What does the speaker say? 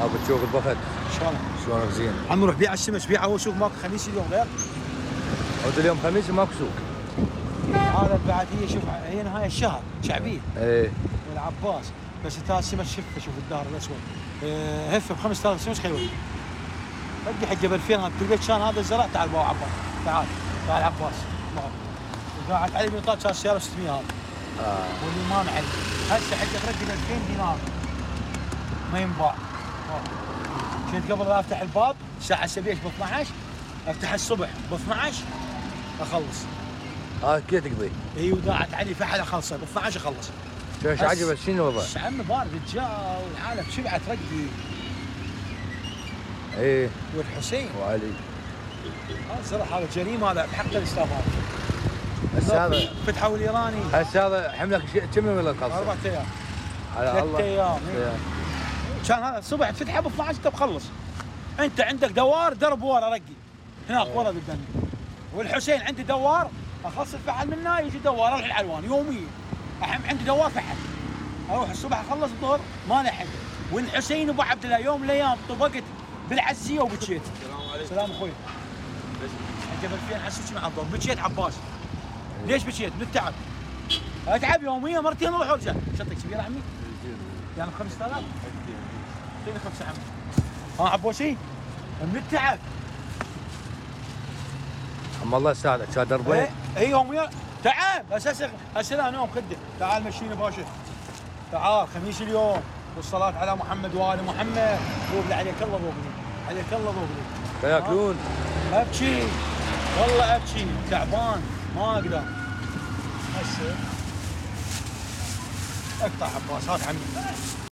بتشوف البخت شلونك زين. عم نروح بيع السمك، بيع اول سوق ماكو خميس اليوم غير. عود اليوم خميس ماكو سوق. هذا بعد هي شوف هي نهاية الشهر شعبية. ايه والعباس بس انت السمك شفه شوف الدهر الاسود. هفه ب 5000 سمك خيول. بدي حق ب 2000 هذا البيت كان هذا الزرع. تعال بابا عباس تعال عباس قاعد علي بيطلع كان سياره 600 هذا. واللي ما معي هسه حق تردي ب 2000 دينار ما ينباع. كنت قبل لا افتح الباب الساعه 7 ب 12 افتح الصبح ب 12 اخلص. كذا تقضي. اي وداعت علي فحل اخلصه ب 12 اخلص. ايش عجبك شنو الوضع؟ عمي بارد الجو والعالم شبعه ترقي. ايه والحسين وعلي صراحه هذا جريمه هذا بحق الاسلام هذا. هسه هذا فتحوا الايراني هسه هذا حملك كم يوم القصه؟ 4 ايام على الله 3 ايام. كان هذا الصبح تفتحه ب 12 انت مخلص. انت عندك دوار درب ورا رقي هناك ورا قدامي. والحسين عندي دوار اخلص الفحل منه يجي دوار اروح العلوان يوميا. عندي دوار فحل اروح الصبح اخلص الظهر ما لحق. والحسين ابو عبد الله يوم من الايام طبقت بالعزيه وبكيت. السلام عليكم. سلام اخوي. انت ب 2000 حسيت مع الضوء بكيت عباس. ليش بكيت؟ من التعب. اتعب يوميا مرتين اروح وارجع. شنطتك كبيره عمي؟ يعني ب 5000؟ اعطيني 5 عمي. عبوسي؟ من التعب. اما الله يساعدك كان دربين. اي يوميا تعب هسه لا نوم خده. تعال مشينا باشا. تعال خميس اليوم والصلاة على محمد وآل محمد. ذوبلي عليك الله ذوبلي. عليك الله ذوبلي. ياكلون. ابكي والله ابكي تعبان ما اقدر. هسه اقطع عباس هات عمي.